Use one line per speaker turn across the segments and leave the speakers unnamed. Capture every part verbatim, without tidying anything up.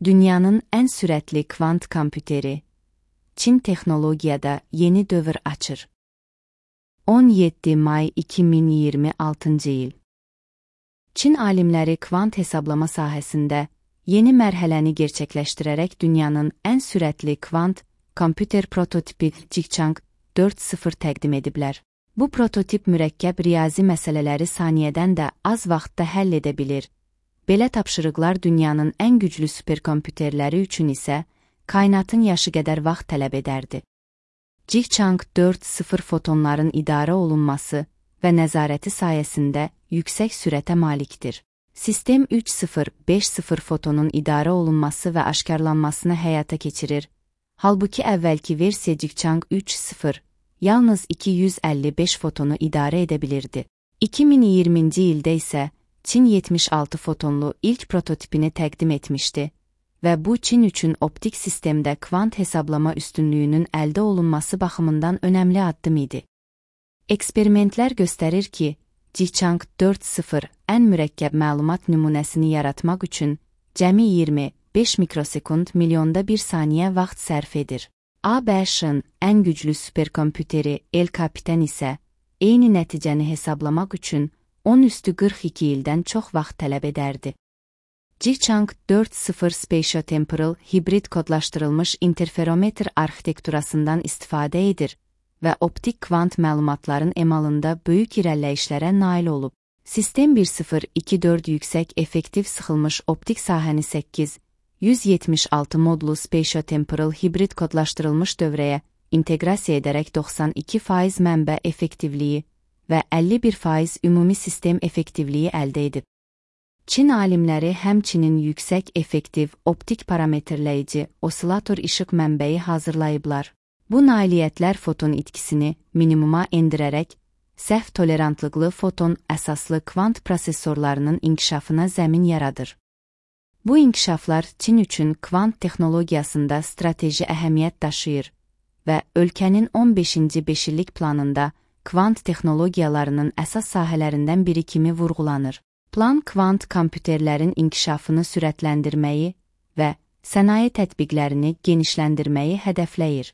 Dünyanın ən sürətli kvant kompüteri, Çin texnologiyada yeni dövr açır. on yeddi may iki min iyirmi altıncı il. Çin alimləri kvant hesablama sahəsində yeni mərhələni gerçəkləşdirərək dünyanın ən sürətli kvant kompüter prototipi Jichang dörd nöqtə sıfır təqdim ediblər. Bu prototip mürəkkəb riyazi məsələləri saniyədən də az vaxtda həll edə bilir. Belə tapşırıqlar dünyanın ən güclü superkompüterləri üçün isə kainatın yaşı qədər vaxt tələb edərdi. Jichang dörd nöqtə sıfır fotonların idarə olunması və nəzarəti sayəsində yüksək sürətə malikdir. Sistem üç nöqtə sıfır beş sıfır fotonun idarə olunması və aşkarlanmasını həyata keçirir. Halbuki əvvəlki versiya Jichang üç nöqtə sıfır yalnız iki yüz əlli beş fotonu idarə edə bilirdi. iki min iyirminci ildə isə Çin yetmiş altı fotonlu ilk prototipini təqdim etmişdi və bu Çin üçün optik sistemdə kvant hesablama üstünlüyünün əldə olunması baxımından önəmli addım idi. Eksperimentlər göstərir ki, Jichang dörd nöqtə sıfır ən mürəkkəb məlumat nümunəsini yaratmaq üçün cəmi iyirmi beş mikrosekund milyonda bir saniyə vaxt sərf edir. A B Ş-ın ən güclü superkompüteri El Capitan isə eyni nəticəni hesablamaq üçün on üstü qırx iki ildən çox vaxt tələb edərdi. Jichang dörd nöqtə sıfır spatiotemporal hibrid kodlaşdırılmış interferometr arxitekturasından istifadə edir və optik kvant məlumatların emalında böyük irəliləyişlərə nail olub. Sistem bir nöqtə sıfır iki dörd yüksək effektiv sıxılmış optik sahəni səkkiz yüz yetmiş altı modlu spatiotemporal hibrid kodlaşdırılmış dövrəyə inteqrasiya edərək doxsan iki faiz mənbə effektivliyi və əlli bir faiz ümumi sistem effektivliyi əldə edib. Çin alimləri həmçinin yüksək effektiv optik parametrləyici osilator işıq mənbəyi hazırlayıblar. Bu nailiyyətlər foton itkisini minimuma endirərək, səhv tolerantlıqlı foton əsaslı kvant prosesorlarının inkişafına zəmin yaradır. Bu inkişaflar Çin üçün kvant texnologiyasında strateji əhəmiyyət daşıyır və ölkənin on beşinci beşillik planında kvant texnologiyalarının əsas sahələrindən biri kimi vurğulanır. Plan kvant kompüterlərin inkişafını sürətləndirməyi və sənaye tətbiqlərini genişləndirməyi hədəfləyir.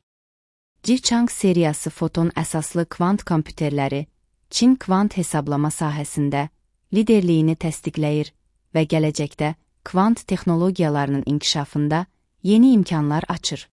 Jichang seriyası foton əsaslı kvant kompüterləri Çin kvant hesablama sahəsində liderliyini təsdiqləyir və gələcəkdə kvant texnologiyalarının inkişafında yeni imkanlar açır.